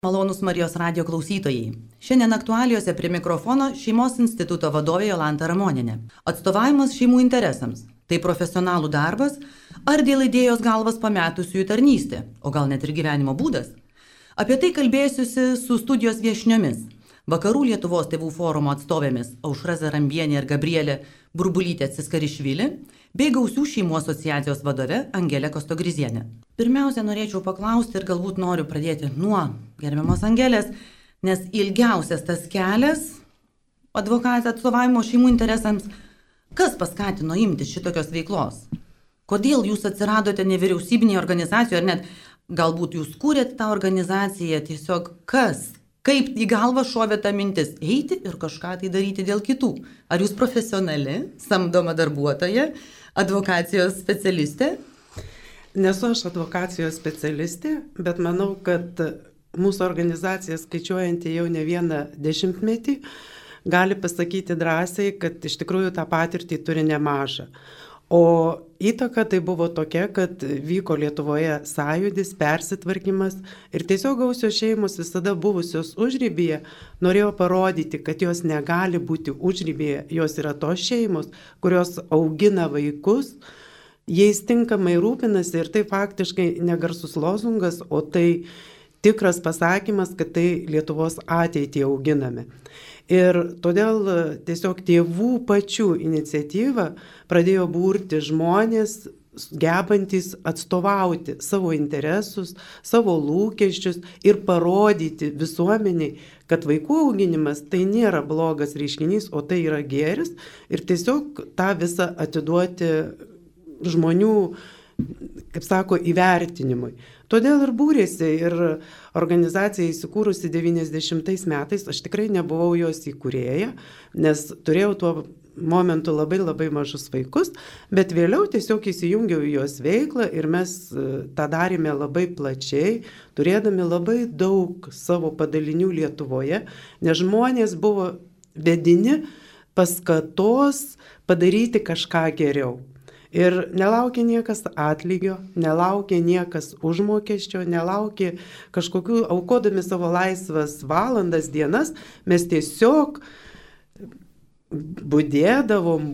Malonūs Marijos radijo klausytojai. Šiandien aktualijose prie mikrofono Šeimos instituto vadovė Jolanta Ramonienė. Atstovavimas šeimų interesams – tai profesionalų darbas ar dėl idėjos galvas pametusiųjų tarnystė, o gal net ir gyvenimo būdas? Apie tai kalbėsiuosi su studijos viešniomis. Vakarų Lietuvos tėvų forumo atstovėmis Aušra Zarambienė ir Gabrielė Burbulytė Ciskarišvili bei Gausių šeimų asociacijos vadove Angelė Kostogrizienė. Pirmiausia, norėčiau paklausti ir galbūt noriu pradėti nuo gerbiamos Angelės, nes ilgiausias tas kelias advokatės atstovavimo šeimų interesams. Kas paskatino imtis šitokios veiklos? Kodėl jūs atsiradote nevyriausybinėje organizacijoje, ar net galbūt jūs kūrėte tą organizaciją, tiesiog kas? Kaip į galvą šovė ta mintis eiti ir kažką tai daryti dėl kitų? Ar jūs profesionali, samdoma darbuotoja, advokacijos specialistė? Nesu aš advokacijos specialistė, bet manau, kad mūsų organizacija, skaičiuojanti jau ne vieną dešimtmetį, gali pasakyti drąsiai, kad iš tikrųjų tą patirtį turi nemažą. O įtaka tai buvo tokia, kad vyko Lietuvoje sąjūdis, persitvarkymas ir tiesiog Gausios šeimos visada buvusios užribyje norėjo parodyti, kad jos negali būti užribyje, jos yra tos šeimos, kurios augina vaikus, jais tinkamai rūpinasi ir tai faktiškai negarsus lozungas, o tai tikras pasakymas, kad tai Lietuvos ateitį auginame. Ir todėl tiesiog tėvų pačių iniciatyva pradėjo burti žmonės, gebantys atstovauti savo interesus, savo lūkesčius ir parodyti visuomeniai, kad vaikų auginimas tai nėra blogas reiškinys, o tai yra gėris ir tiesiog tą visą atiduoti žmonių, kaip sako, įvertinimui. Todėl ir būrėsi ir organizacija įsikūrusi 90 metais, aš tikrai nebuvau jos įkūrėja, nes turėjau tuo momentu labai mažus vaikus, bet vėliau tiesiog įsijungiau į jos veiklą ir mes tą darėme labai plačiai, turėdami labai daug savo padalinių Lietuvoje, nes žmonės buvo vedini paskatos padaryti kažką geriau. Ir nelaukė niekas atlygio, nelaukė niekas užmokesčio, nelaukė kažkokių, aukodami savo laisvas valandas, dienas, mes tiesiog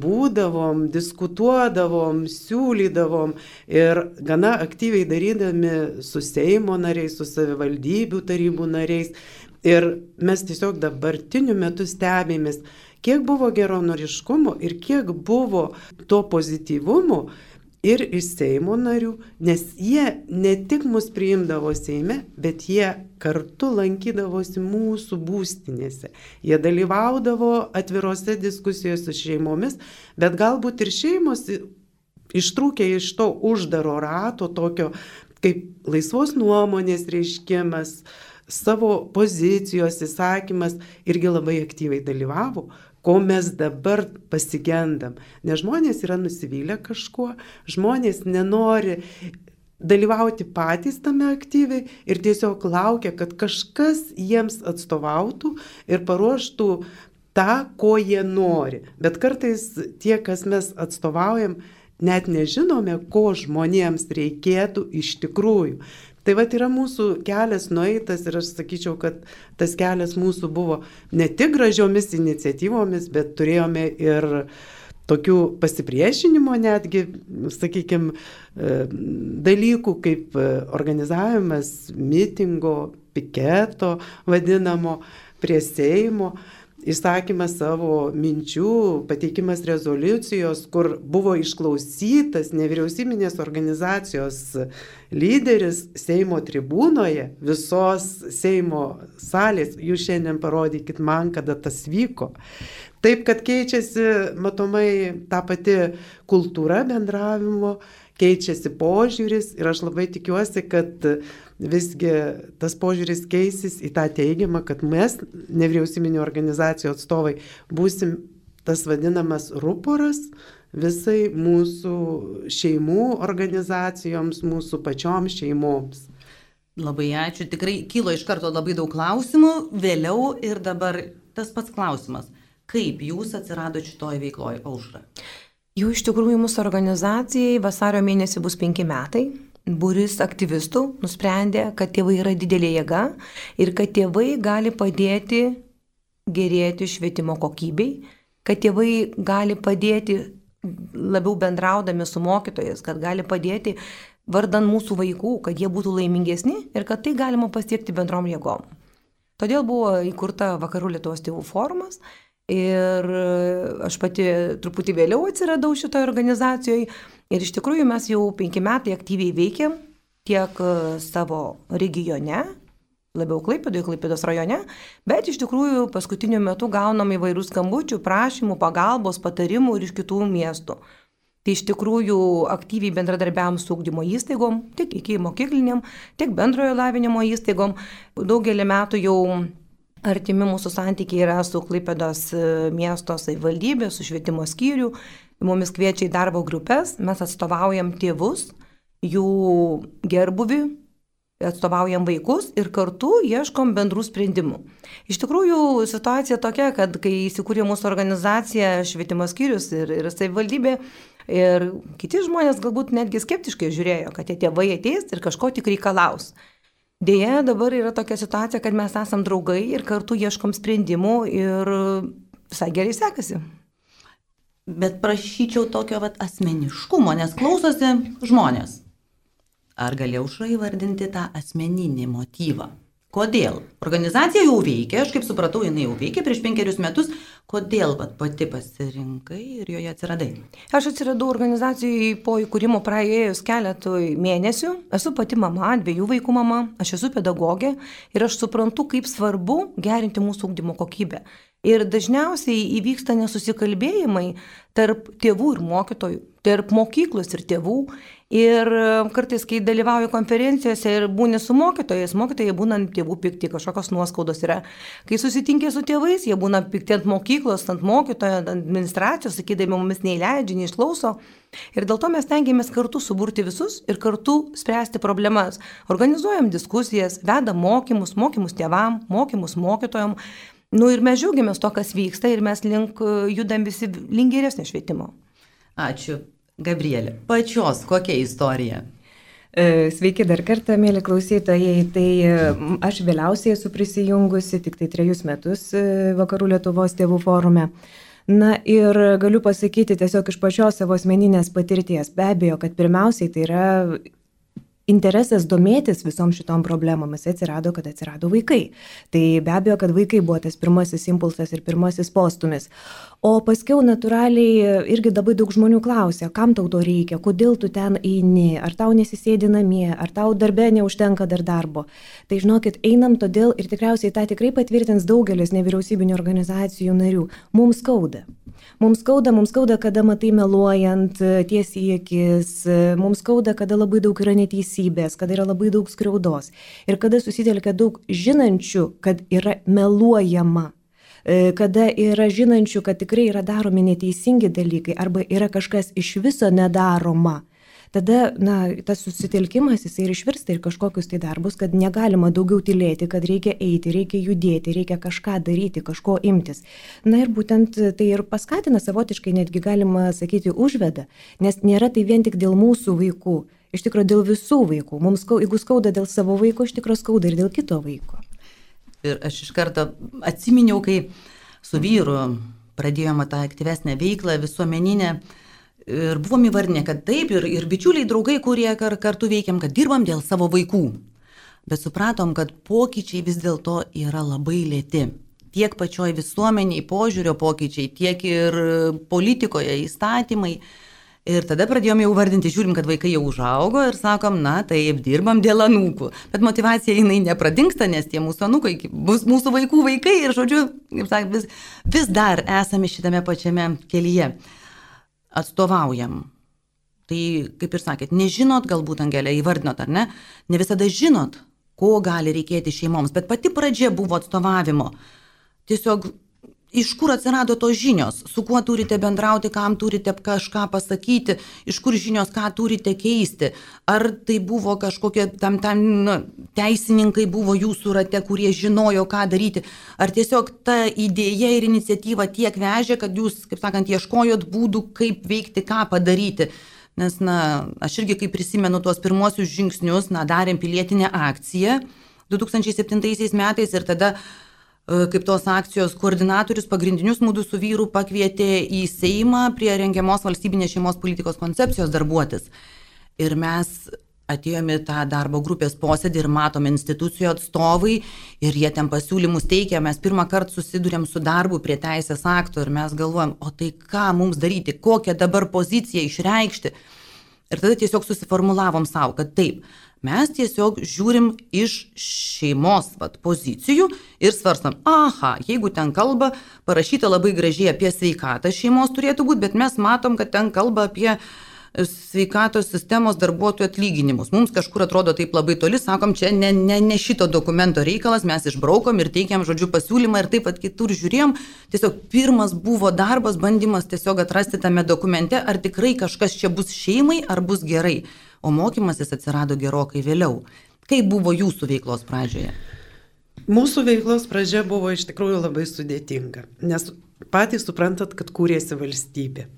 būdavom, diskutuodavom, siūlydavom ir gana aktyviai darydami su Seimo nariais, su savivaldybių tarybų nariais. Ir mes tiesiog dabartiniu metu stebėmės, kiek buvo geranoriškumo ir kiek buvo to pozityvumo ir iš Seimo narių, nes jie ne tik mus priimdavo Seime, bet jie kartu lankydavosi mūsų būstinėse. Jie dalyvaudavo atvirose diskusijose su šeimomis, bet galbūt ir šeimos ištrūkė iš to uždaro rato, tokio kaip laisvos nuomonės reiškimas, savo pozicijos įsakymas irgi labai aktyviai dalyvavo, ko mes dabar pasigendam. Nes žmonės yra nusivylę kažkuo, žmonės nenori dalyvauti patys tame aktyviai ir tiesiog laukia, kad kažkas jiems atstovautų ir paruoštų tą, ko jie nori. Bet kartais tie, kas mes atstovaujam, net nežinome, ko žmonėms reikėtų iš tikrųjų. Tai vat yra mūsų kelias nueitas ir aš sakyčiau, kad tas kelias mūsų buvo ne tik gražiomis iniciatyvomis, bet turėjome ir tokių pasipriešinimo netgi, sakykime, dalykų kaip organizavimas mitingo, piketo vadinamo prie Seimo, išsakymas savo minčių, pateikimas rezoliucijos, kur buvo išklausytas nevyriausybinės organizacijos lyderis Seimo tribūnoje, visos Seimo salės. Jūs šiandien parodykit man, kada tas vyko. Taip, kad keičiasi, matomai, ta pati kultūra bendravimo, keičiasi požiūris ir aš labai tikiuosi, kad visgi tas požiūris keisis į tą teigiamą, kad mes, nevyriausybinių organizacijų atstovai, būsim tas vadinamas ruporas visai mūsų šeimų organizacijoms, mūsų pačioms šeimoms. Labai ačiū, tikrai kilo iš karto labai daug klausimų, vėliau ir dabar tas pats klausimas. Kaip jūs atsiradote šitoje veikloje, Aušra? Jau iš tikrųjų mūsų organizacijai vasario mėnesį bus 5 metai. būris aktyvistų nusprendė, kad tėvai yra didelė jėga ir kad tėvai gali padėti gerėti švietimo kokybei, kad tėvai gali padėti labiau bendraudami su mokytojais, kad gali padėti vardan mūsų vaikų, kad jie būtų laimingesni ir kad tai galima pasiekti bendrom jėgom. Todėl buvo įkurta Vakarų Lietuvos tėvų forumas ir aš pati truputį vėliau atsiradau šitoje organizacijoje ir iš tikrųjų mes jau 5 metai aktyviai veikiam tiek savo regione, labiau Klaipėdos rajone, bet iš tikrųjų paskutiniu metu gaunam įvairių skambučių, prašymų, pagalbos, patarimų ir iš kitų miestų. Tai iš tikrųjų aktyviai bendradarbiavom su ugdymo įstaigom, tiek iki mokykliniam, tiek bendrojo lavinimo įstaigom. Daugelį metų jau artimi mūsų santykiai yra su Klaipėdos miesto savivaldybė, su švietimo skyriu. Mumis kviečia į darbo grupės, mes atstovaujam tėvus, jų gerbuvį, atstovaujam vaikus ir kartu ieškom bendrų sprendimų. Iš tikrųjų, situacija tokia, kad kai įsikūrė mūsų organizacija, švietimo skyrius ir savivaldybė, ir kiti žmonės galbūt netgi skeptiškai žiūrėjo, kad tie tėvai ateis ir kažko tik reikalaus. Deja, dabar yra tokia situacija, kad mes esam draugai ir kartu ieškom sprendimų ir visai gerai sekasi. Bet prašyčiau tokio asmeniškumo, nes klausosi žmonės. Ar gali Aušra įvardinti tą asmeninį motyvą? Kodėl? Organizacija jau veikia, aš kaip supratau, jinai jau veikia prieš 5 metus. Kodėl pati pasirinkai ir joje atsiradai? Aš atsiradau organizacijai po įkūrimo praėjus keletui mėnesių. Esu pati mama, 2 vaikų mama, aš esu pedagogė ir aš suprantu, kaip svarbu gerinti mūsų ugdymo kokybę. Ir dažniausiai įvyksta nesusikalbėjimai tarp tėvų ir mokytojų, tarp mokyklos ir tėvų. Ir kartais, kai dalyvauju konferencijose ir būni su mokytojais, mokytojai būna ant tėvų pikti, kažkokios nuoskaudos yra. Kai susitinkė su tėvais, jie būna pikti ant mokyklos, ant mokytojo, ant administracijos, sakydami, mumis neįleidžia, neišklauso. Ir dėl to mes tengiamės kartu suburti visus ir kartu spręsti problemas. Organizuojam diskusijas, vedam mokymus tėvam, mokymus mokytojom. Ir mes džiaugiamės to, kas vyksta ir mes judam visi link geresnio švietimo. Ačiū. Gabrielė, pačios kokia istorija? Sveiki dar kartą, mėly klausytojai. Tai aš vėliausiai esu prisijungusi, tik tai 3 metus Vakarų Lietuvos tėvų forume. Na ir galiu pasakyti tiesiog iš pačios savo asmeninės patirties. Be abejo, kad pirmiausiai tai yra interesas domėtis visom šitom problemomis atsirado, kad atsirado vaikai. Tai be abejo, kad vaikai buvo tas pirmasis impulsas ir pirmasis postumis. O paskiau natūraliai irgi labai daug žmonių klausia, kam tau to reikia, kodėl tu ten eini, ar tau nesisėdi namie, ar tau darbe neužtenka dar darbo. Tai žinokit, einam todėl ir tikriausiai tą tikrai patvirtins daugelis nevyriausybinių organizacijų narių. Mums skauda. Mums skauda, kada matai meluojant tiesiai į akis, mums skauda, kada labai daug yra neteisybės, kada yra labai daug skriaudos ir kada susitelkia daug žinančių, kad yra meluojama. Kada yra žinančių, kad tikrai yra daromi neteisingi dalykai arba yra kažkas iš viso nedaroma, tada tas susitelkimas jisai ir išvirsta ir kažkokius tai darbus, kad negalima daugiau tylėti, kad reikia eiti, reikia judėti, reikia kažką daryti, kažko imtis. Ir būtent tai ir paskatina savotiškai, netgi galima sakyti, užveda, nes nėra tai vien tik dėl mūsų vaikų, iš tikrųjų dėl visų vaikų. Mums, jeigu skauda dėl savo vaiko, iš tikrųjų skauda ir dėl kito vaiko. Ir aš iš karto atsiminiau, kai su vyru pradėjome tą aktyvesnę veiklą visuomeninę ir buvom įvardinę, kad taip ir bičiuliai, draugai, kurie kartu veikiam, kad dirbam dėl savo vaikų. Bet supratom, kad pokyčiai vis dėlto yra labai lėti. Tiek pačioj visuomeniai, požiūrio pokyčiai, tiek ir politikoje, įstatymai. Ir tada pradėjome jau vardinti, žiūrim, kad vaikai jau užaugo ir sakom, taip, dirbam dėl anūkų. Bet motivacija jinai nepradingsta, nes tie mūsų anūkai bus mūsų vaikų vaikai ir, žodžiu, kaip sakant, vis dar esame šitame pačiame kelyje. Atstovaujam. Tai, kaip ir sakėt, nežinot, galbūt Angelė įvardinot, ar ne? Ne visada žinot, ko gali reikėti šeimoms, bet pati pradžia buvo atstovavimo. Tiesiog iš kur atsirado tos žinios, su kuo turite bendrauti, kam turite kažką pasakyti, iš kur žinios, ką turite keisti. Ar tai buvo kažkokie teisininkai buvo jūsų rate, kurie žinojo, ką daryti. Ar tiesiog ta idėja ir iniciatyva tiek vežė, kad jūs, kaip sakant, ieškojot būdų, kaip veikti, ką padaryti. nes, aš irgi, kai prisimenu tuos pirmuosius žingsnius, darėm pilietinę akciją 2007 metais ir tada, kaip tos akcijos koordinatorius pagrindinius mūsų su vyru pakvietė į Seimą prie rengiamos valstybinės šeimos politikos koncepcijos darbuotis. Ir mes atėjome tą darbo grupės posėdį ir matome institucijų atstovai ir jie ten pasiūlymus teikia, mes pirmą kartą susidurėm su darbu prie teisės akto ir mes galvojam, o tai ką mums daryti, kokią dabar poziciją išreikšti. Ir tada tiesiog susiformulavom savo, kad taip, mes tiesiog žiūrim iš šeimos pozicijų ir svarstam, jeigu ten kalba parašyta labai gražiai apie sveikatą šeimos turėtų būti, bet mes matom, kad ten kalba apie sveikatos sistemos darbuotojų atlyginimus. Mums kažkur atrodo taip labai toli, sakom, čia ne šito dokumento reikalas, mes išbraukom ir teikiam pasiūlymą ir taip pat kitur žiūrėjom. Tiesiog pirmas buvo darbas, bandymas tiesiog atrasti tame dokumente, ar tikrai kažkas čia bus šeimai, ar bus gerai. O mokymasis atsirado gerokai vėliau. Kaip buvo jūsų veiklos pradžioje? Mūsų veiklos pradžia buvo iš tikrųjų labai sudėtinga, nes patys suprantat, kad kūrėsi valstybė.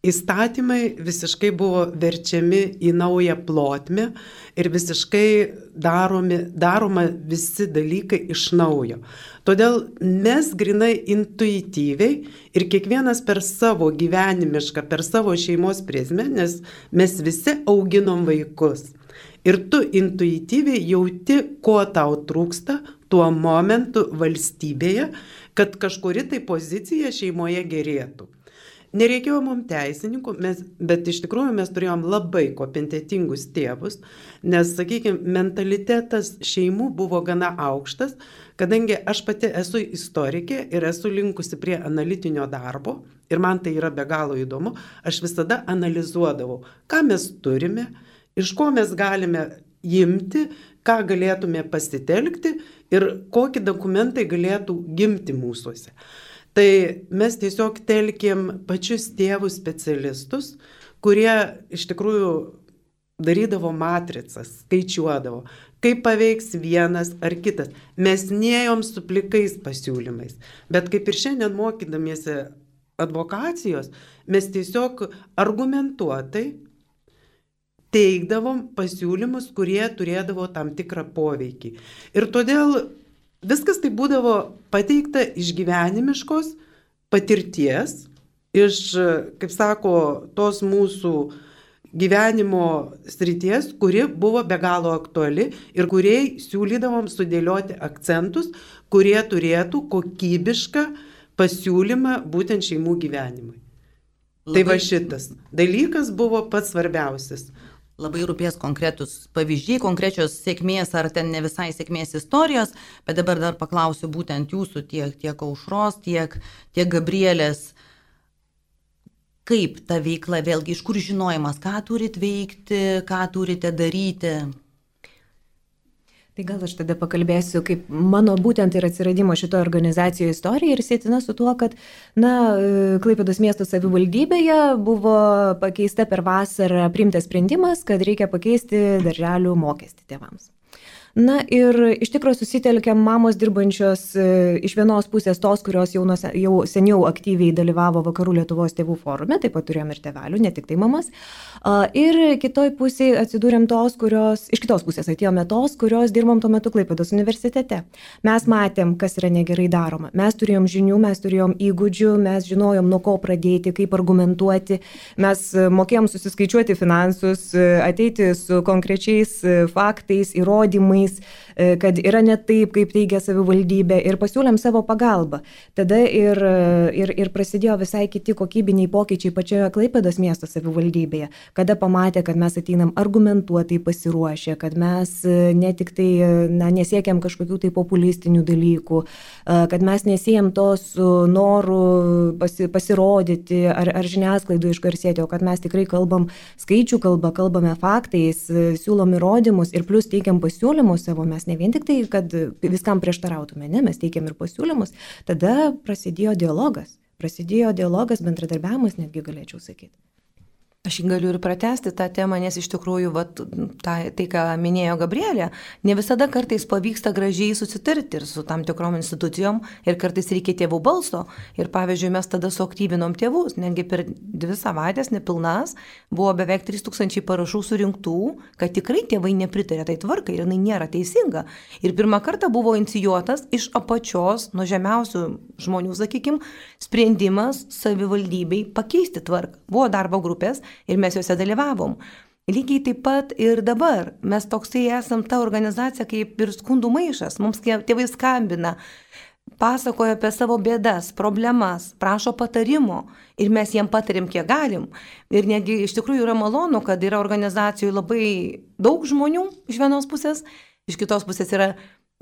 Įstatymai visiškai buvo verčiami į naują plotmę ir visiškai daroma visi dalykai iš naujo. Todėl mes grinai intuityviai ir kiekvienas per savo gyvenimišką, per savo šeimos prizmę, nes mes visi auginom vaikus. Ir tu intuityviai jauti, ko tau trūksta tuo momentu valstybėje, kad kažkuri tai pozicija šeimoje gerėtų. Nereikėjo mums teisininkų, bet iš tikrųjų mes turėjom labai kompetentingus tėvus, nes, sakykime, mentalitetas šeimų buvo gana aukštas, kadangi aš pati esu istorikė ir esu linkusi prie analitinio darbo ir man tai yra be galo įdomu, aš visada analizuodavau, ką mes turime, iš ko mes galime imti, ką galėtume pasitelkti ir kokie dokumentai galėtų gimti mūsuose. Tai mes tiesiog telkėm pačius tėvus specialistus, kurie iš tikrųjų darydavo matricas, skaičiuodavo, kaip paveiks vienas ar kitas. Mes nėjom su plikais pasiūlymais, bet kaip ir šiandien mokydamiesi advokacijos, mes tiesiog argumentuotai teikdavom pasiūlymus, kurie turėdavo tam tikrą poveikį. Ir todėl viskas tai būdavo pateikta iš gyvenimiškos patirties, iš, kaip sako, tos mūsų gyvenimo srities, kuri buvo be galo aktuali ir kuriai siūlydavom sudėlioti akcentus, kurie turėtų kokybišką pasiūlymą būtent šeimų gyvenimui. Tai va šitas dalykas buvo pats svarbiausias. Labai rūpės konkretus pavyzdžiai, konkrečios sėkmės ar ten ne visai sėkmės istorijos, bet dabar dar paklausiu būtent jūsų tiek Aušros, tiek Gabrielės. Kaip ta veikla, vėlgi, iš kur žinojimas, ką turit veikti, ką turite daryti? Tai gal aš tada pakalbėsiu, kaip mano būtent ir atsiradimo šito organizacijoje istorija ir sėtina su tuo, kad, Klaipėdos miesto savivaldybėje buvo pakeista per vasarą priimtas sprendimas, kad reikia pakeisti darželių mokestį tėvams. Ir iš tikrųjų susitelkėm mamos dirbančios iš vienos pusės tos, kurios jau seniau aktyviai dalyvavo Vakarų Lietuvos tėvų forume, taip pat turėjom ir tėvelių, ne tik tai mamas. Ir kitoj pusėje atsidūrėm iš kitos pusės atėjome tos, kurios dirbom tuo metu Klaipėdos universitete. Mes matėm, kas yra negerai daroma. Mes turėjom žinių, mes turėjom įgūdžių, mes žinojom, nuo ko pradėti, kaip argumentuoti. Mes mokėjom susiskaičiuoti finansus, ateiti su konkrečiais faktais, įrodymais, kad yra ne taip, kaip teigia savivaldybė ir pasiūlėm savo pagalbą. Tada ir prasidėjo visai kiti kokybiniai pokyčiai pačioje Klaipėdos miesto savivaldybėje, kada pamatė, kad mes ateinam argumentuotai pasiruošę, kad mes ne tik tai nesiekiam kažkokių tai populistinių dalykų, kad mes nesiejam to su noru pasirodyti ar žiniasklaidų išgarsėti, o kad mes tikrai kalbam skaičių kalbą, kalbame faktais, siūlom įrodymus ir plus teikiam pasiūlymus savo, mes ne vien tik tai, kad viskam prieštarautume, ne, mes teikiam ir pasiūlymus, tada prasidėjo dialogas, bendradarbiavimas, netgi galėčiau sakyti. Aš galiu ir pratesti tą temą, nes iš tikrųjų, tai ką minėjo Gabrielė, ne visada kartais pavyksta gražiai susitarti ir su tam tikrom institucijom ir kartais reikia tėvų balso. Ir pavyzdžiui, mes tada suaktyvinom tėvus, netgi per 2 savaitės nepilnas buvo beveik 3000 parašų surinktų, kad tikrai tėvai nepritarė tai tvarkai ir jinai nėra teisinga. Ir pirmą kartą buvo inicijuotas iš apačios, nuo žemiausių žmonių, sakykime, sprendimas savivaldybei pakeisti tvarką. Buvo darbo grupės ir mes juose dalyvavom. Lygiai taip pat ir dabar. Mes toksai esam ta organizacija kaip ir skundų maišas. Mums tėvai skambina, pasakoja apie savo bėdas, problemas, prašo patarimo ir mes jiem patarim, kiek galim. Ir netgi iš tikrųjų yra malonu, kad yra organizacijų labai daug žmonių iš vienos pusės, iš kitos pusės yra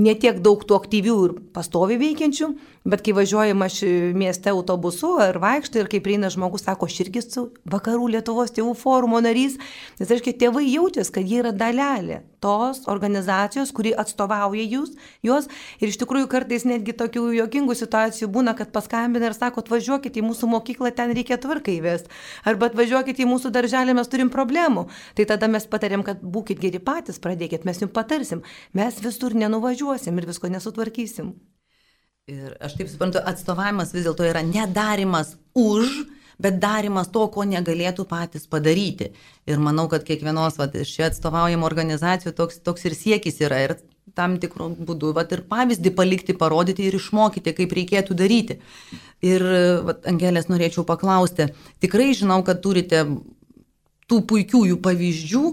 ne tiek daug tų aktyvių ir pastoviai veikiančių, bet kai važiuojama mieste autobusu ar vaikštai ir kai prieina žmogus, sako, aš irgi su Vakarų Lietuvos tėvų forumo narys, nes reiškia, tėvai jaučiasi, kad jie yra dalelė tos organizacijos, kuri atstovauja juos ir iš tikrųjų kartais netgi tokių juokingų situacijų būna, kad paskambina ir sako, atvažiuokit į mūsų mokyklą, ten reikia tvarką įvesti, arba atvažiuokit į mūsų darželį, mes turim problemų. Tai tada mes patarėm, kad būkit geri patys, pradėkit, mes jums patarsim, mes visur nenuvažiuosim ir visko nesutvarkysim. Ir aš taip suprantu, atstovavimas vis dėlto yra nedarimas bet darimas to, ko negalėtų patys padaryti. Ir manau, kad kiekvienos šie atstovaujamo organizacijų toks ir siekis yra ir tam tikrų būdų ir pavyzdį palikti, parodyti ir išmokyti, kaip reikėtų daryti. Ir Angelės norėčiau paklausti, tikrai žinau, kad turite tų puikiųjų pavyzdžių,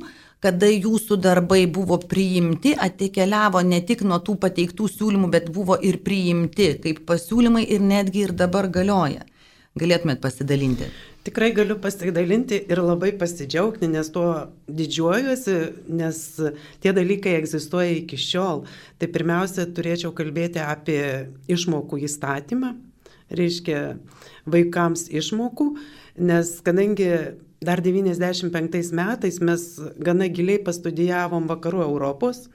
kada jūsų darbai buvo priimti, atkeliavo ne tik nuo tų pateiktų siūlymų, bet buvo ir priimti kaip pasiūlymai ir netgi ir dabar galioja. Galėtumėt pasidalinti? Tikrai galiu pasidalinti ir labai pasidžiaugti, nes tuo didžiuojuosi, nes tie dalykai egzistuoja iki šiol. Tai pirmiausia, turėčiau kalbėti apie išmokų įstatymą, reiškia vaikams išmokų, nes kadangi dar 95 metais mes gana giliai pastudijavom Vakarų Europos,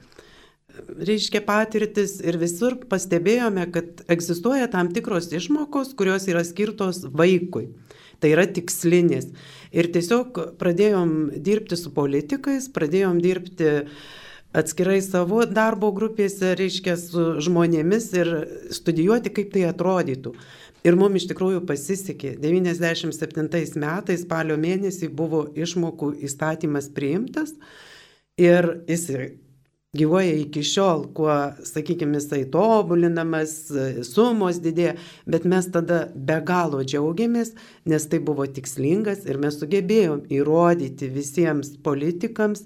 reiškia patirtis ir visur pastebėjome, kad egzistuoja tam tikros išmokos, kurios yra skirtos vaikui. Tai yra tikslinės. Ir tiesiog pradėjom dirbti su politikais, pradėjom dirbti atskirai savo darbo grupėse, reiškia su žmonėmis ir studijuoti, kaip tai atrodytų. Ir mums iš tikrųjų pasisekė. 97 metais spalio mėnesį buvo išmokų įstatymas priimtas ir jis gyvuoja iki šiol, kuo, sakykime, jisai tobulinamas, sumos didėja, bet mes tada be galo džiaugiamės, nes tai buvo tikslingas ir mes sugebėjom įrodyti visiems politikams,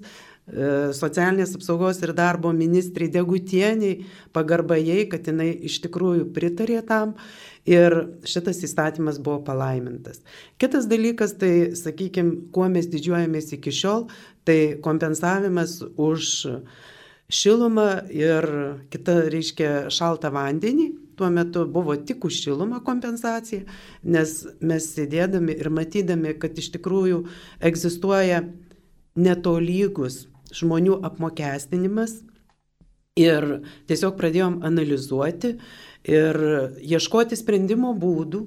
socialinės apsaugos ir darbo ministrai Degutieniai, pagarba jai, kad jinai iš tikrųjų pritarė tam ir šitas įstatymas buvo palaimintas. Kitas dalykas, tai, sakykime, kuo mes didžiuojamės iki šiol, tai kompensavimas už šilumą ir kitą, reiškia, šaltą vandenį. Tuo metu buvo tik už šilumą kompensacija, nes mes sėdėdami ir matydami, kad iš tikrųjų egzistuoja netolygus žmonių apmokestinimas ir tiesiog pradėjom analizuoti ir ieškoti sprendimo būdų,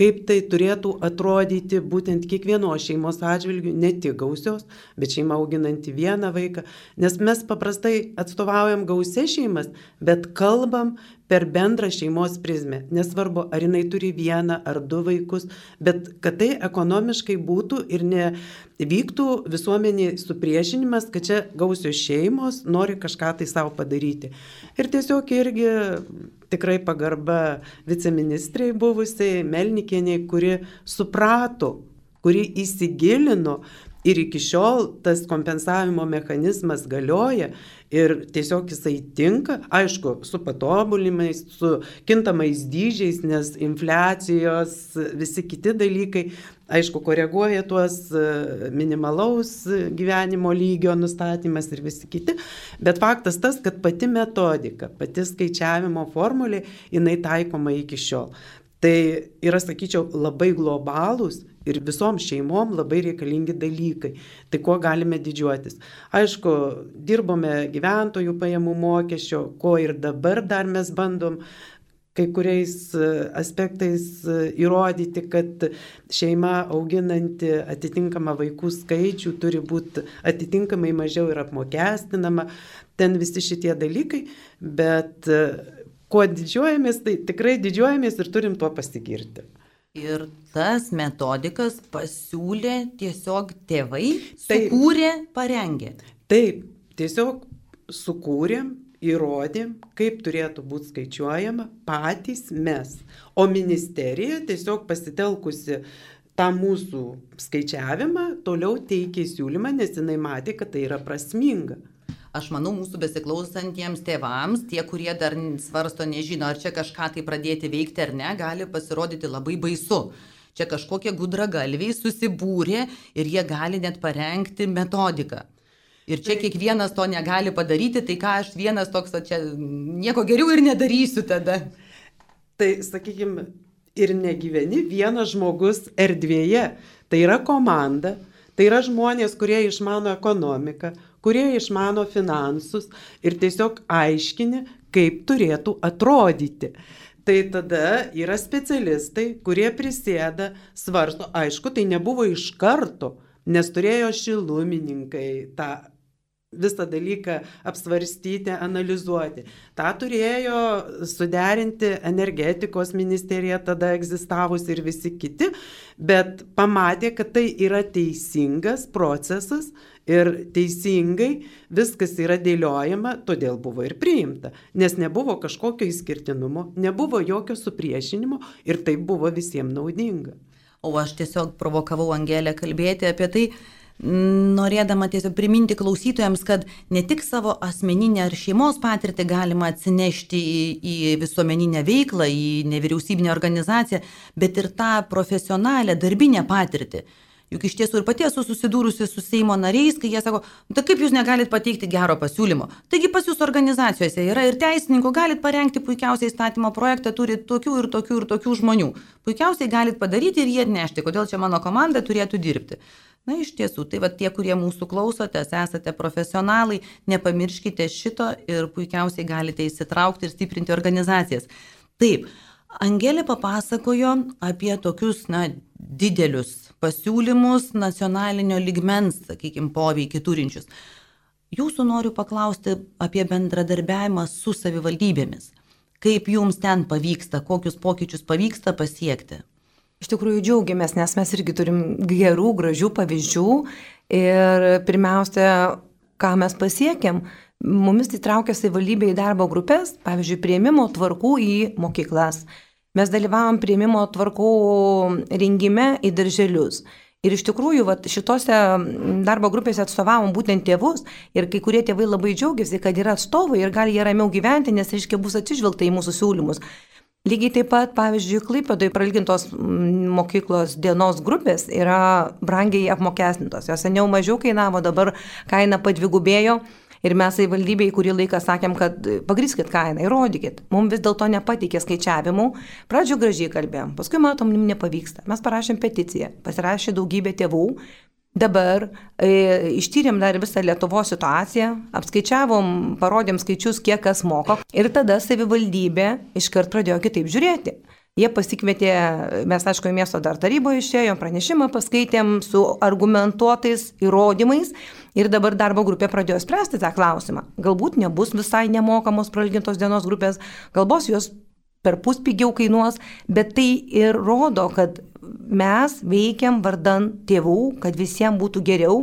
kaip tai turėtų atrodyti būtent kiekvienos šeimos atžvilgių, ne tik gausios, bet šeima auginanti vieną vaiką, nes mes paprastai atstovaujam gausias šeimas, bet kalbam per bendrą šeimos prizmę. Nesvarbu, ar jinai turi 1 ar 2 vaikus, bet kad tai ekonomiškai būtų ir nevyktų visuomeniai supriešinimas, kad čia gausios šeimos nori kažką tai savo padaryti. Ir tiesiog irgi tikrai pagarba viceministrai buvusiai Melnikieniai, kuri suprato, kuri įsigilino ir iki šiol tas kompensavimo mechanizmas galioja ir tiesiog jisai tinka, aišku, su patobulimais, su kintamais dydžiais, nes infliacijos, visi kiti dalykai, aišku, koreguoja tuos minimalaus gyvenimo lygio nustatymas ir visi kiti, bet faktas tas, kad pati metodika, pati skaičiavimo formulė, jinai taikoma iki šiol. Tai yra, sakyčiau, labai globalūs ir visom šeimom labai reikalingi dalykai. Tai kuo galime didžiuotis? Aišku, dirbome gyventojų pajamų mokesčio, ko ir dabar dar mes bandom kai kuriais aspektais įrodyti, kad šeima auginanti atitinkamą vaikų skaičių turi būti atitinkamai mažiau ir apmokestinama, ten visi šitie dalykai, bet kuo didžiuojamės, tai tikrai didžiuojamės ir turim tuo pasigirti. Ir tas metodikas pasiūlė tiesiog tėvai, sukūrė, parengė. Taip, tiesiog sukūrėm, įrodėm, kaip turėtų būti skaičiuojama patys mes. O ministerija tiesiog pasitelkusi tą mūsų skaičiavimą toliau teikė siūlymą, nes jinai matė, kad tai yra prasminga. Aš manau, mūsų besiklausantiems tėvams, tie, kurie dar svarsto, nežino, ar čia kažką tai pradėti veikti ar ne, gali pasirodyti labai baisu. Čia kažkokie gudragalviai susibūrė ir jie gali net parengti metodiką. Ir čia kiekvienas to negali padaryti, tai ką aš vienas toks, čia nieko geriau ir nedarysiu tada. Tai, sakykime, ir negyveni vienas žmogus erdvėje. Tai yra komanda, tai yra žmonės, kurie išmano ekonomiką, kurie išmano finansus ir tiesiog aiškini, kaip turėtų atrodyti. Tai tada yra specialistai, kurie prisėda, svarsto, aišku, tai nebuvo iš karto, nes turėjo šilumininkai tą visą dalyką apsvarstyti, analizuoti. Ta turėjo suderinti energetikos ministerija, tada egzistavusi ir visi kiti, bet pamatė, kad tai yra teisingas procesas ir teisingai viskas yra dėliojama, todėl buvo ir priimta, nes nebuvo kažkokio išskirtinumo, nebuvo jokio supriešinimo ir tai buvo visiems naudinga. O aš tiesiog provokavau Angelę kalbėti apie tai, norėdama tiesiog priminti klausytojams, kad ne tik savo asmeninę ar šeimos patirtį galima atsinešti į visuomeninę veiklą, į nevyriausybinę organizaciją, bet ir tą profesionalią darbinę patirtį. Juk iš tiesų ir pati esu susidūrusi su Seimo nariais, kai jie sako, tai kaip jūs negalit pateikti gero pasiūlymo? Taigi pas jūs organizacijose yra ir teisininkų, galit parengti puikiausiai įstatymo projektą, turi tokių ir tokių ir tokių žmonių. Puikiausiai galit padaryti ir jį atnešti, kodėl čia mano komanda turėtų dirbti. Na iš tiesų, tai va tie, kurie mūsų klausotės, esate profesionalai, nepamirškite šito ir puikiausiai galite įsitraukti ir stiprinti organizacijas. Taip, Angelė papasakojo apie tokius, didelius pasiūlymus nacionalinio lygmens, sakykime, poveikį turinčius. Jūsų noriu paklausti apie bendradarbiavimą su savivaldybėmis. Kaip jums ten pavyksta, kokius pokyčius pavyksta pasiekti? Iš tikrųjų džiaugiamės, nes mes irgi turim gerų, gražių pavyzdžių ir pirmiausia, ką mes pasiekėm, mumis įtraukė savivaldybė į darbo grupės, pavyzdžiui, priėmimo tvarkų į mokyklas. Mes dalyvavom priėmimo tvarkų rengime į darželius. Ir iš tikrųjų, šitose darbo grupėse atstovavom būtent tėvus ir kai kurie tėvai labai džiaugiasi, kad yra atstovai ir gali jie ramiau gyventi, nes, reiškia, bus atsižvelgta į mūsų siūlymus. Lygiai taip pat, pavyzdžiui, Klaipėdoje prailgintos mokyklos dienos grupės yra brangiai apmokestintos. Jos seniau mažiau kainavo, dabar kaina padvigubėjo. Ir mes savivaldybėj kurį laiką sakėm, kad pagrįskit kainą, įrodykit. Mums vis dėlto nepateikė skaičiavimų. Pradžio gražiai kalbėjom, paskui matom, nepavyksta. Mes parašėm peticiją, pasirašė daugybė tėvų. Dabar ištyrėm dar visą Lietuvos situaciją, apskaičiavom, parodėm skaičius, kiek kas moko. Ir tada savivaldybė iškart pradėjo kitaip žiūrėti. Jie pasikvietė, mes aišku, į miesto dar taryboje išėjom, pranešimą paskaitėm su argumentuotais įrodymais ir dabar darbo grupė pradėjo spręsti tą klausimą. Galbūt nebus visai nemokamos prailgintos dienos grupės, galbūt jos perpus pigiau kainuos, bet tai ir rodo, kad mes veikiam vardan tėvų, kad visiems būtų geriau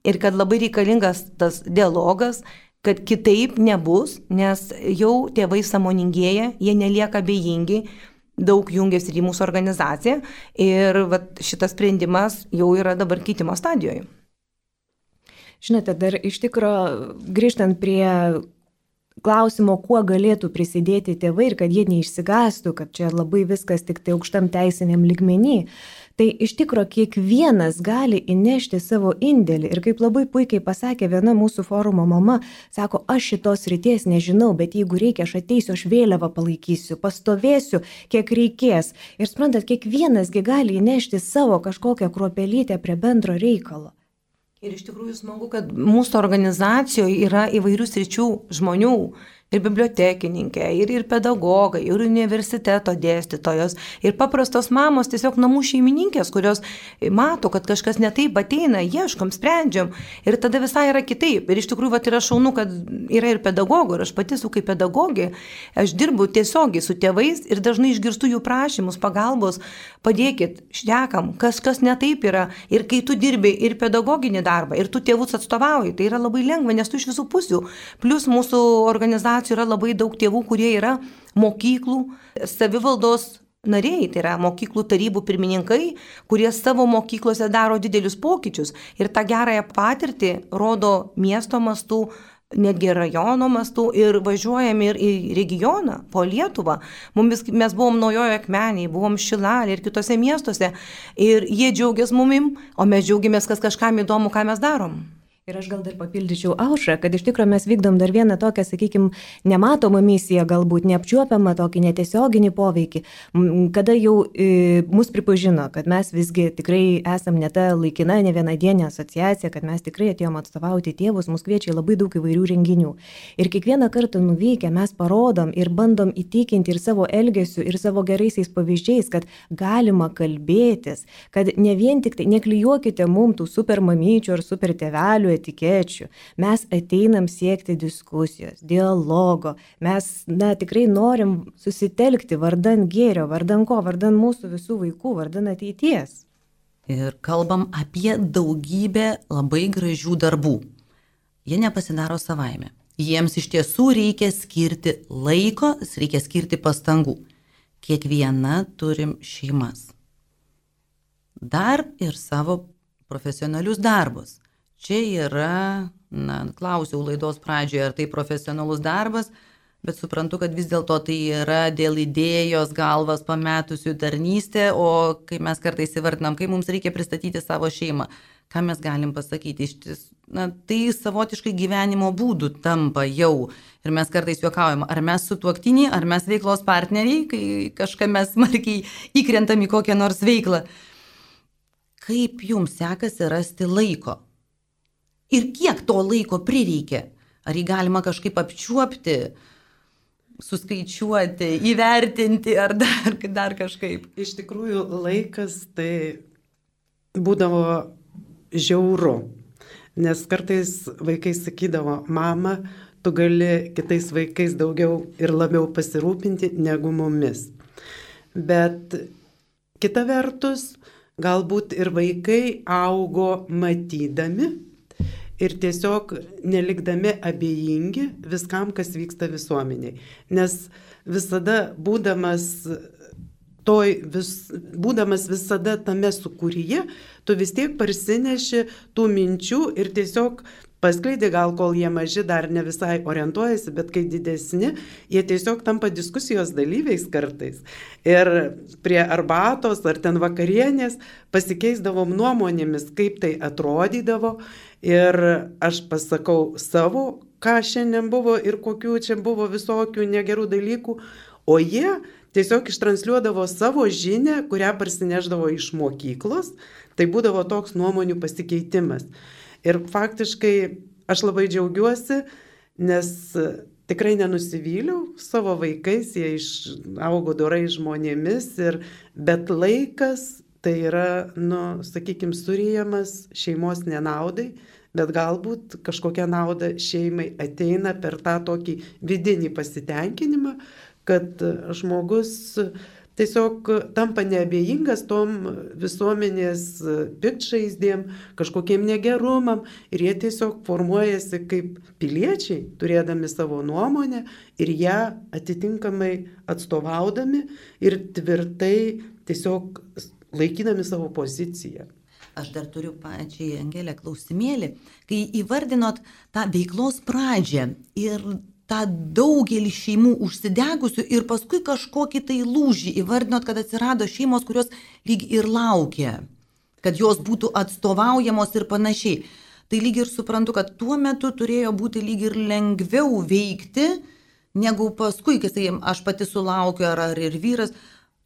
ir kad labai reikalingas tas dialogas, kad kitaip nebus, nes jau tėvai sąmoningėja, jie nelieka abejingi. Daug jungiasi ir į mūsų organizaciją ir šitas sprendimas jau yra dabar keitimo stadijoje. Žinote, dar iš tikro grįžtant prie klausimo, kuo galėtų prisidėti tėvai ir kad jie neišsigastų, kad čia labai viskas tik tai aukštam teisiniam lygmenį, tai iš tikro kiekvienas gali įnešti savo indėlį. Ir kaip labai puikiai pasakė viena mūsų forumo mama, sako, aš šitos ryties nežinau, bet jeigu reikia, aš ateisiu, aš vėliavą palaikysiu, pastovėsiu, kiek reikės. Ir suprantat, kiekvienasgi gali įnešti savo kažkokią kruopelytę prie bendro reikalo. Ir iš tikrųjų smagu, kad mūsų organizacijoje yra įvairių sričių žmonių. ir bibliotekininkė, ir pedagogai, ir universiteto dėstytojos, ir paprastos mamos, tiesiog namų šeimininkės, kurios mato, kad kažkas netaip ateina, ieškom, sprendžiam. Ir tada visai yra kitaip. Ir iš tikrųjų yra šaunu, kad yra ir pedagogų. Ir aš pati esu kaip pedagogė. Aš dirbu tiesiogiai su tėvais ir dažnai išgirstu jų prašymus, pagalbos. Padėkit, šnekam, kas netaip yra. Ir kai tu dirbi ir pedagoginį darbą, ir tu tėvus atstovauji, tai yra labai lengva, nes tu iš visų pusių. Plus mūsų organizacijų yra labai daug tėvų, kurie yra mokyklų, savivaldos nariai, tai yra mokyklų tarybų pirmininkai, kurie savo mokyklose daro didelius pokyčius ir tą gerąją patirtį rodo miesto mastu, netgi rajono mastu ir važiuojame ir į regioną, po Lietuvą. Mes buvom Naujojoje Akmenėje, buvom Šilalėje ir kitose miestuose ir jie džiaugiasi mumim, o mes džiaugiamės, kas kažkam įdomu, ką mes darom. Ir aš gal dar papildyčiau Aušrą, kad iš tikrųjų mes vykdom dar vieną tokią, sakykime, nematomą misiją, galbūt neapčiuopiamą tokį netiesioginį poveikį, kada jau mus pripažino, kad mes visgi tikrai esam ne ta laikina, ne vienadienė asociacija, kad mes tikrai atėjom atstovauti tėvus, mus kviečia labai daug įvairių renginių. Ir kiekvieną kartą nuvykę mes parodom ir bandom įtikinti ir savo elgesiu, ir savo geraisiais pavyzdžiais, kad galima kalbėtis, kad ne vien tik tai neklijuokite mums tų super mamyčių ar super tėvelių etikečių. Mes ateinam siekti diskusijos, dialogo. Mes tikrai norim susitelkti vardan gėrio, vardan ko, vardan mūsų visų vaikų, vardan ateities. Ir kalbam apie daugybę labai gražių darbų. Jie nepasidaro savaime. Jiems iš tiesų reikia skirti laiko, reikia skirti pastangų. Kiekviena turim šeimas. Dar ir savo profesionalius darbus. Čia yra, klausiau laidos pradžioje, ar tai profesionalus darbas, bet suprantu, kad vis dėlto tai yra dėl idėjos galvas pametusių tarnystė, o kai mes kartais įvardinam, kai mums reikia pristatyti savo šeimą, ką mes galim pasakyti, tai savotiškai gyvenimo būdų tampa jau. Ir mes kartais juokaujam, ar mes sutuoktiniai, ar mes veiklos partneriai, kai kažką mes smarkiai įkrentam į kokią nors veiklą. Kaip jums sekasi rasti laiko? Ir kiek to laiko prireikia? Ar jį galima kažkaip apčiuopti, suskaičiuoti, įvertinti ar dar kažkaip? Iš tikrųjų, laikas tai būdavo žiauru, nes kartais vaikai sakydavo, mama, tu gali kitais vaikais daugiau ir labiau pasirūpinti negu mumis. Bet kita vertus, galbūt ir vaikai augo matydami, ir tiesiog nelikdami abejingi viskam, kas vyksta visuomeniai. Nes visada būdamas visada tame sūkuryje, tu vis tiek parsineši tų minčių ir tiesiog paskleidė, gal kol jie maži dar ne visai orientuojasi, bet kai didesni, jie tiesiog tampa diskusijos dalyviais kartais. Ir prie arbatos ar ten vakarienės pasikeisdavom nuomonėmis, kaip tai atrodydavo. Ir aš pasakau savo, ką šiandien buvo ir kokių čia buvo visokių negerų dalykų, o jie tiesiog ištransliuodavo savo žinią, kurią parsineždavo iš mokyklos. Tai būdavo toks nuomonių pasikeitimas. Ir faktiškai aš labai džiaugiuosi, nes tikrai nenusivyliau savo vaikais, jie augo dorai žmonėmis, bet laikas tai yra, sakykime, suryjamas šeimos nenaudai, bet galbūt kažkokia nauda šeimai ateina per tą tokį vidinį pasitenkinimą, kad žmogus tiesiog tampa neabejingas tom visuomenės piktžaizdėm, kažkokiem negerumam ir jie tiesiog formuojasi kaip piliečiai, turėdami savo nuomonę ir ją atitinkamai atstovaudami ir tvirtai tiesiog laikydami savo poziciją. Aš dar turiu pačiai Angelė klausimėlį, kai įvardinot tą veiklos pradžią ir tą daugelį šeimų užsidegusių ir paskui kažkokį tai lūžį įvardinot, kad atsirado šeimos, kurios lyg ir laukia, kad jos būtų atstovaujamos ir panašiai. Tai lyg ir suprantu, kad tuo metu turėjo būti lyg ir lengviau veikti, negu paskui, kai aš pati sulaukiu ar ir vyras,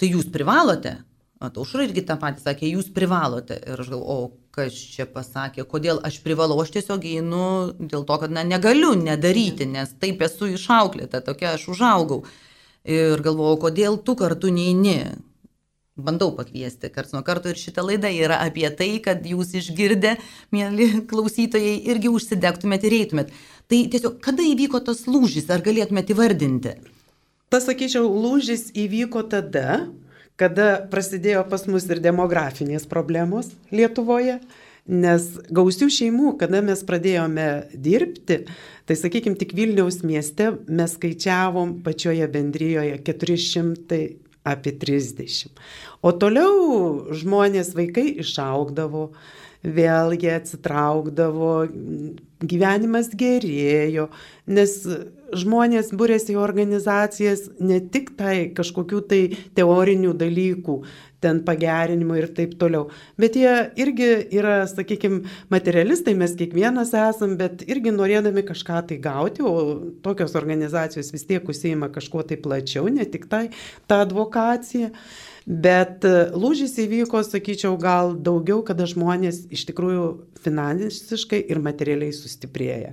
tai jūs privalote. Aušra irgi tą patį sakė, jūs privalote. Ir aš galvoju, o kas čia pasakė, kodėl aš privalau, aš tiesiog einu dėl to, kad negaliu nedaryti, nes taip esu išauklėta, tokia aš užaugau. Ir galvoju, kodėl tu kartu neini. Bandau pakviesti karts nuo karto ir šitą laidą yra apie tai, kad jūs išgirdę, mėly klausytojai, irgi užsidegtumėt ir eitumėt. Tai tiesiog, kada įvyko tas lūžis, ar galėtumėt įvardinti? Pasakyčiau, lūžis įvyko tada, kada prasidėjo pas mus ir demografinės problemos Lietuvoje, nes gausių šeimų, kada mes pradėjome dirbti, tai sakykime, tik Vilniaus mieste mes skaičiavom pačioje bendrijoje 400 apie 30. O toliau žmonės, vaikai išaugdavo, vėl jie atsitraukdavo, gyvenimas gerėjo, nes žmonės būrėsi į organizacijas ne tik tai kažkokių tai teorinių dalykų, ten pagerinimo ir taip toliau, bet jie irgi yra, sakykime, materialistai, mes kiekvienas esam, bet irgi norėdami kažką tai gauti, o tokios organizacijos vis tiek užsiima kažkuo tai plačiau, ne tik tai ta advokacija. Bet lūžis įvyko, sakyčiau, gal daugiau, kada žmonės iš tikrųjų finansiškai ir materialiai sustiprėja.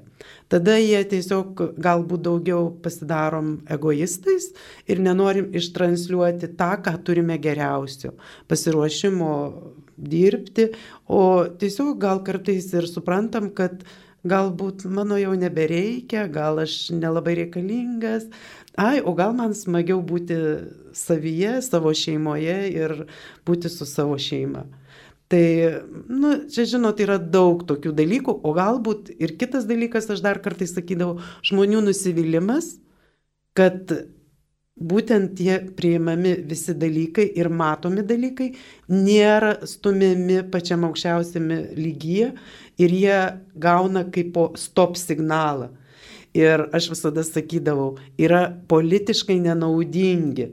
Tada jie tiesiog galbūt daugiau pasidarom egoistais ir nenorim ištransliuoti tą, ką turime geriausio, pasiruošimo dirbti, o tiesiog gal kartais ir suprantam, kad galbūt mano jau nebereikia, gal aš nelabai reikalingas, o gal man smagiau būti savyje, savo šeimoje ir būti su savo šeima. Tai, čia žinot, yra daug tokių dalykų, o galbūt ir kitas dalykas, aš dar kartais sakydavau, žmonių nusivylimas, kad būtent tie priimami visi dalykai ir matomi dalykai nėra stumiami pačiam aukščiausiame lygyje ir jie gauna kaip po stop signalą. Ir aš visada sakydavau, yra politiškai nenaudingi.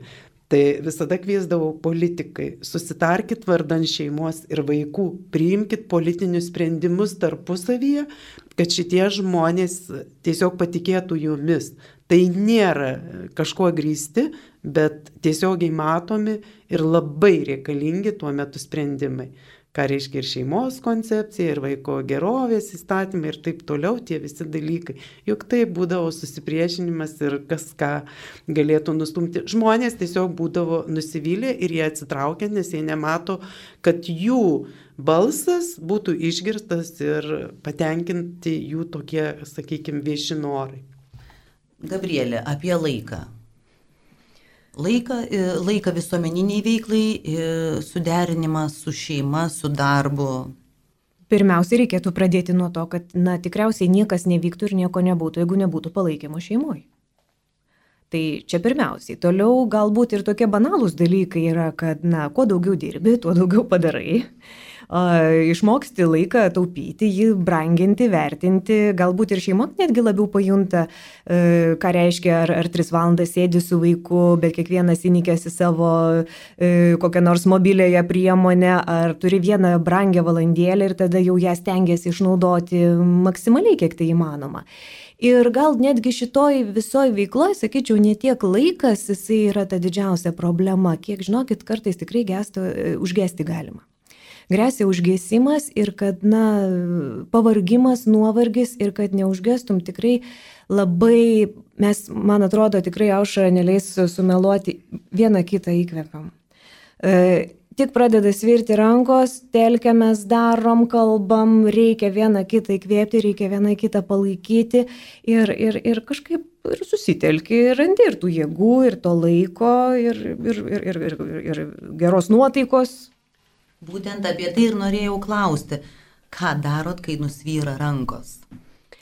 Tai visada kviesdavau politikai, susitarkit vardan šeimos ir vaikų, priimkit politinius sprendimus tarpusavyje, kad šitie žmonės tiesiog patikėtų jumis. Tai nėra kažkuo grįsti, bet tiesiogiai matomi ir labai reikalingi tuo metu sprendimai. Ką reiškia ir šeimos koncepcija, ir vaiko gerovės įstatymai ir taip toliau, tie visi dalykai. Juk tai būdavo susipriešinimas ir kas ką galėtų nustumti. Žmonės tiesiog būdavo nusivylę ir jie atsitraukia, nes jie nemato, kad jų balsas būtų išgirstas ir patenkinti jų tokie, sakykime, vieši norai. Gabrielė, apie laiką. Laiką visuomeniniai veiklai, suderinimas su šeima, su darbu. Pirmiausia, reikėtų pradėti nuo to, kad tikriausiai niekas nevyktų ir nieko nebūtų, jeigu nebūtų palaikymo šeimoje. Tai čia pirmiausiai. Toliau galbūt ir tokie banalūs dalykai yra, kad kuo daugiau dirbi, tuo daugiau padarai. Išmoksti laiką taupyti, jį branginti, vertinti, galbūt ir šeima netgi labiau pajunta, ką reiškia, ar 3 valandas sėdi su vaiku, bet kiekvienas įnikęs į savo kokią nors mobiliąją priemonę, ar turi vieną brangią valandėlę ir tada jau ją stengiasi išnaudoti maksimaliai, kiek tai įmanoma. Ir gal netgi šitoj visoj veikloje, sakyčiau, ne tiek laikas, jisai yra ta didžiausia problema, kiek, žinokit, kartais tikrai užgesti galima. Gresia užgesimas ir kad, pavargimas, nuovargis ir kad neužgestum tikrai labai, mes, man atrodo, tikrai Aušra neleis sumeluoti, vieną kitą įkvepiam. Tik pradeda svirti rankos, telkiamės, darom, kalbam, reikia vieną kitą įkvėpti, reikia vieną kitą palaikyti ir kažkaip ir susitelki, ir randi ir tų jėgų, ir to laiko, ir geros nuotaikos. Būtent apie tai ir norėjau klausti, ką darot, kai nusvyra rankos?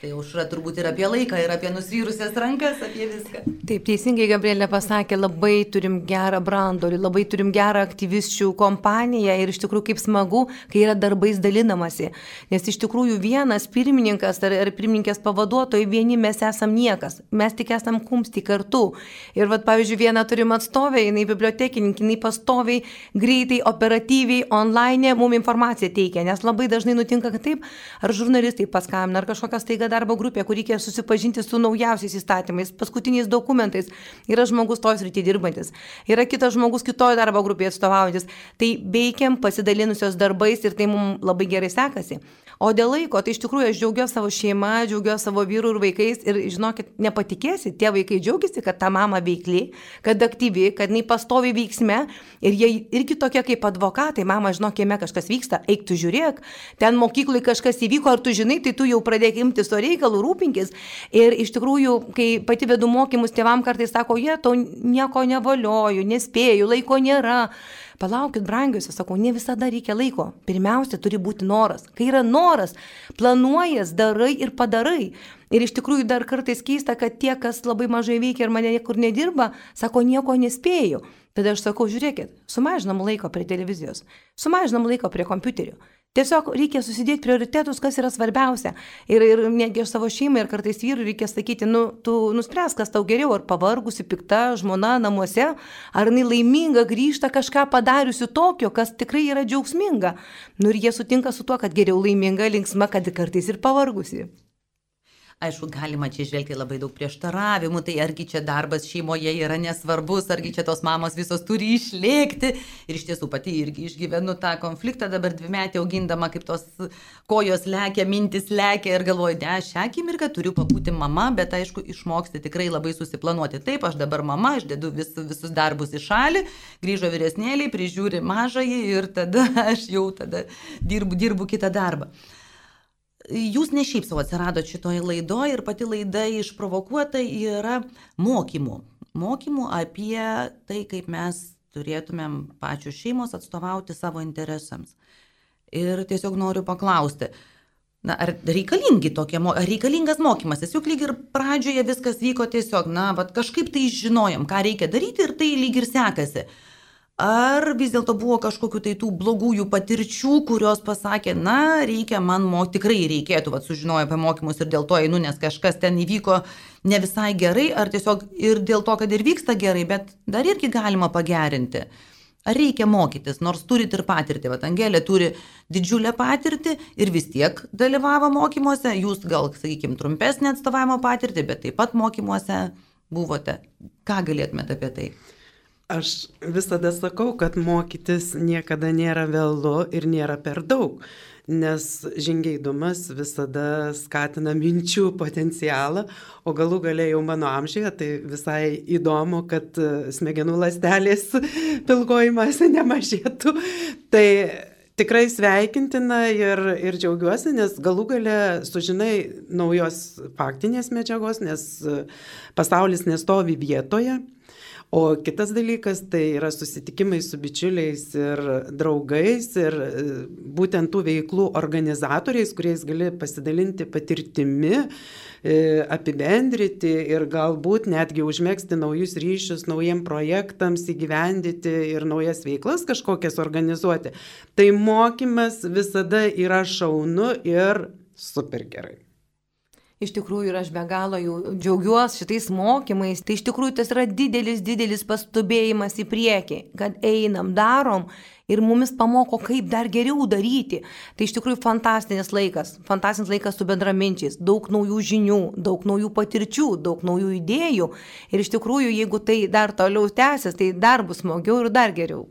Tai Aušra turbūt ir apie laiką, ir apie nusvyrusias rankas, apie viską. Taip, teisingai Gabrielė pasakė, labai turim gerą brandolį, labai turim gerą aktyvisčių kompaniją ir iš tikrųjų kaip smagu, kai yra darbais dalinamasi. Nes iš tikrųjų vienas pirmininkas ar pirmininkės pavaduotojai, vieni mes esam niekas, mes tik esam kumsti kartu. Ir pavyzdžiui, vieną turim atstovę, jinai bibliotekininkė, jinai pastoviai, greitai, operatyviai, online mums informaciją teikia, nes labai dažnai nutinka, kad taip, ar žurnalistai paskambina, ar kažkokios taiga darbo grupė, kur reikia susipažinti su naujausiais įstatymais, paskutiniais dokumentais. Yra žmogus tos rytį dirbantis, yra kitas žmogus kitoje darbo grupėje atstovaujantis. Tai veikiam pasidalinusios darbais ir tai mums labai gerai sekasi. O dėl laiko, tai iš tikrųjų aš džiaugiuosi savo šeimą, džiaugiuosi savo vyrų ir vaikais ir žinokit, nepatikėsi, tie vaikai džiaugiasi, kad ta mama veikli, kad aktyvi, kad jinai pastovi veiksme ir jie irgi tokie kaip advokatai, mama, žinok, kieme kažkas vyksta, eik tu žiūrėk, ten mokyklai kažkas įvyko, ar tu žinai, tai tu jau pradėk imtis to reikalų, rūpinkis. Ir iš tikrųjų, kai pati vedu mokymus, tėvam kartais sako, jie tau nieko nevalioju, nespėju, laiko nėra. Palaukit, brangiuose, sakau, ne visada reikia laiko. Pirmiausia, turi būti noras. Kai yra noras, planuojas, darai ir padarai. Ir iš tikrųjų dar kartais keista, kad tie, kas labai mažai veikia ir mane niekur nedirba, sako, nieko nespėju. Tada aš sakau, žiūrėkit, sumažinam laiko prie televizijos, sumažinam laiko prie kompiuterių. Tiesiog reikia susidėti prioritetus, kas yra svarbiausia. Ir netgi aš savo šeimai ir kartais vyrui reikia sakyti, tu nuspręs, kas tau geriau, ar pavargusi, pikta žmona namuose, ar jinai laiminga grįžta kažką padariusi tokio, kas tikrai yra džiaugsminga. Ir jie sutinka su tuo, kad geriau laiminga, linksma, kad kartais ir pavargusi. Aišku, galima čia žvelgti labai daug prieštaravimų, tai argi čia darbas šeimoje yra nesvarbus, argi čia tos mamos visos turi išlėkti. Ir iš tiesų pati irgi išgyvenu tą konfliktą, dabar 2-metį augindama, kaip tos kojos lekia, mintis lekia ir galvoju, šią akimirką turiu pabūti mama, bet aišku, išmoksti tikrai labai susiplanuoti. Taip, aš dabar mama, aš dedu visus darbus į šalį, grįžo vyresnėliai, prižiūri mažąjį ir tada aš jau dirbu kitą darbą. Jūs ne šiaip savo atsiradote šitoje laidoje ir pati laida išprovokuota yra mokymų. Mokymų apie tai, kaip mes turėtumėm pačios šeimos atstovauti savo interesams. Ir tiesiog noriu paklausti, ar reikalingas mokymasis? Juk lyg ir pradžioje viskas vyko tiesiog, kažkaip tai žinojom, ką reikia daryti ir tai lyg ir sekasi. Ar vis dėlto buvo kažkokių tai tų blogųjų patirčių, kurios pasakė, tikrai reikėtų, sužinojo apie mokymus ir dėl to einu, nes kažkas ten įvyko ne visai gerai, ar tiesiog ir dėl to, kad ir vyksta gerai, bet dar irgi galima pagerinti. Ar reikia mokytis, nors turit ir patirtį, Angelė turi didžiulę patirtį ir vis tiek dalyvavo mokymuose, jūs gal, sakykime, trumpesnį atstovavimo patirtį, bet taip pat mokymuose buvote. Ką galėtumėte apie tai? Aš visada sakau, kad mokytis niekada nėra vėlu ir nėra per daug, nes žingeidumas visada skatina minčių potencialą, o galų gale jau mano amžiuje, tai visai įdomu, kad smegenų ląstelės pilkoji masė nemažėtų. Tai tikrai sveikintina ir džiaugiuosi, nes galų gale sužinai naujos faktinės medžiagos, nes pasaulis nestovi vietoje. O kitas dalykas tai yra susitikimai su bičiuliais ir draugais ir būtent tų veiklų organizatoriais, kuriais gali pasidalinti patirtimi, apibendrinti ir galbūt netgi užmegzti naujus ryšius, naujiem projektams įgyvendyti ir naujas veiklas kažkokias organizuoti. Tai mokymas visada yra šaunu ir super gerai. Iš tikrųjų ir aš be galo jau džiaugiuosi šitais mokymais, tai iš tikrųjų tas yra didelis pastubėjimas į priekį, kad einam, darom ir mumis pamoko, kaip dar geriau daryti. Tai iš tikrųjų fantastinis laikas su bendraminčiais, daug naujų žinių, daug naujų patirčių, daug naujų idėjų ir iš tikrųjų, jeigu tai dar toliau tęsis, tai dar bus smagiau ir dar geriau.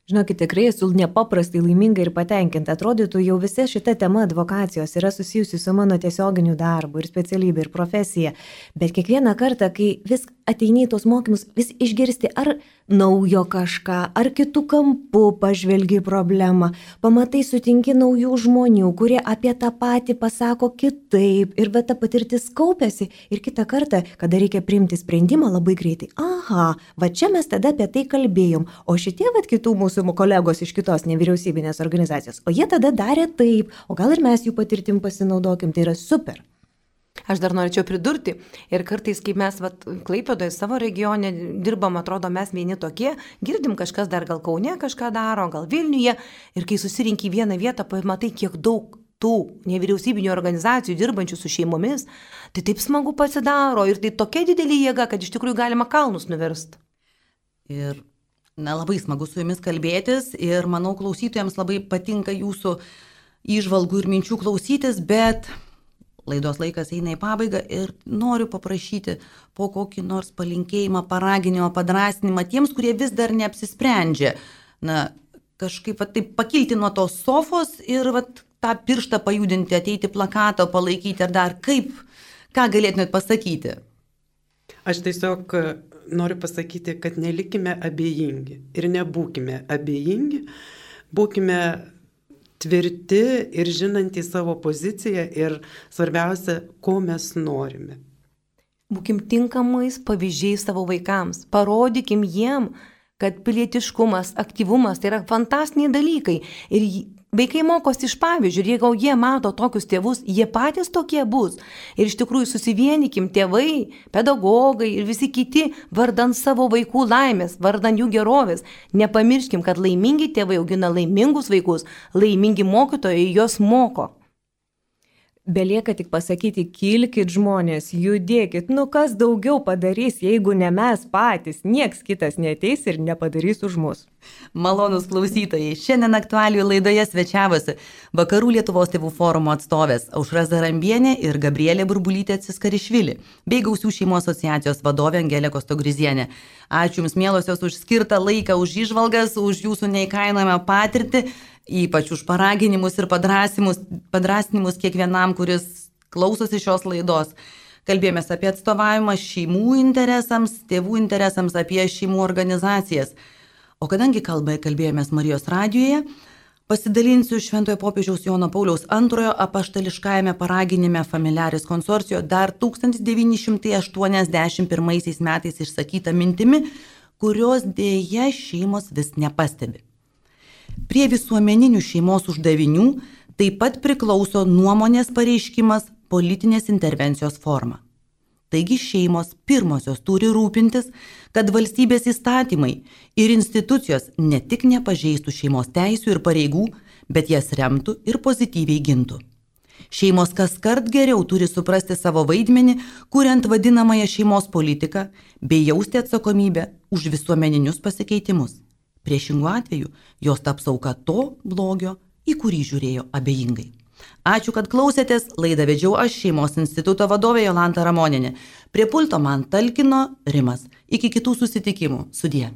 Žinokit, tikrai esu nepaprastai laiminga ir patenkinta. Atrodytų, jau visa šita tema advokacijos yra susijusi su mano tiesioginiu darbu ir specialybė ir profesija. Bet kiekvieną kartą, kai vis ateini į tos mokymus, vis išgirsti ar naujo kažką, ar kitų kampų pažvelgi problemą, pamatai, sutinki naujų žmonių, kurie apie tą patį pasako kitaip ir ta patirtis kaupiasi ir kitą kartą, kada reikia priimti sprendimą labai greitai. Aha, čia mes tada apie tai kalbėjom, o šitie kitų mūsų kolegos iš kitos nevyriausybinės organizacijos, o jie tada darė taip, o gal ir mes jų patirtim pasinaudokim, tai yra super. Aš dar norėčiau pridurti ir kartais, kai mes Klaipėdoje savo regione dirbam, atrodo mes vieni tokie, girdim kažkas dar gal Kaune kažką daro, gal Vilniuje ir kai susirinki į vieną vietą, pamatai, kiek daug tų nevyriausybinių organizacijų dirbančių su šeimomis, tai taip smagu pasidaro ir tai tokia didelė jėga, kad iš tikrųjų galima kalnus nuversti. Ir labai smagu su jumis kalbėtis ir manau klausytojams labai patinka jūsų įžvalgų ir minčių klausytis, bet laidos laikas eina į pabaigą ir noriu paprašyti po kokį nors palinkėjimą, paraginimą, padrasnimą tiems, kurie vis dar neapsisprendžia. Na, kažkaip taip pakilti nuo tos sofos ir tą pirštą pajudinti, ateiti plakatą, palaikyti ar dar kaip, ką galėtumėt pasakyti? Aš tiesiog noriu pasakyti, kad nelikime abejingi ir nebūkime abejingi, būkime tvirti ir žinantys savo poziciją ir svarbiausia, ko mes norime. Būkim tinkamais pavyzdžiais savo vaikams, parodykim jiem, kad pilietiškumas, aktyvumas tai yra fantastiniai dalykai ir vaikai mokosi iš pavyzdžių ir jeigu jie mato tokius tėvus, jie patys tokie bus. Ir iš tikrųjų susivienykim tėvai, pedagogai ir visi kiti vardan savo vaikų laimės, vardan jų gerovės. Nepamirškim, kad laimingi tėvai augina laimingus vaikus, laimingi mokytojai juos moko. Belieka tik pasakyti, kilkit žmonės, judėkit, kas daugiau padarys, jeigu ne mes patys, nieks kitas neateis ir nepadarys už mus. Malonūs klausytojai, šiandien aktualijų laidoje svečiavosi Vakarų Lietuvos tėvų forumo atstovės Aušra Zarambienė ir Gabrielė Burbulytė Ciskarišvili, bei Gausių šeimų asociacijos vadovė Angelė Kostogrizienė. Ačiū Jums, mielosios, už skirtą laiką, už įžvalgas, už Jūsų neįkainojamą patirtį, ypač už paraginimus ir padrasinimus kiekvienam, kuris klausosi šios laidos. Kalbėjomės apie atstovavimą šeimų interesams, tėvų interesams, apie šeimų organizacijas. O kadangi kalbėjomės Marijos radijoje, pasidalinsiu Šventojo popiežiaus Jono Pauliaus II apaštališkajame paraginime Familiaris Consortio dar 1981 metais išsakyta mintimi, kurios dėja šeimos vis nepastebi. Prie visuomeninių šeimos uždavinių taip pat priklauso nuomonės pareiškimas politinės intervencijos forma. Taigi šeimos pirmosios turi rūpintis, kad valstybės įstatymai ir institucijos ne tik nepažeistų šeimos teisių ir pareigų, bet jas remtų ir pozityviai gintų. Šeimos kaskart geriau turi suprasti savo vaidmenį, kuriant vadinamąją šeimos politiką, bei jausti atsakomybę už visuomeninius pasikeitimus. Priešingų atveju jos taps auka to blogio, į kurį žiūrėjo abejingai. Ačiū, kad klausėtės, laidą vedžiau aš, Šeimos instituto vadovė Jolanta Ramonienė. Prie pulto man talkino Rimas. Iki kitų susitikimų. Sudie.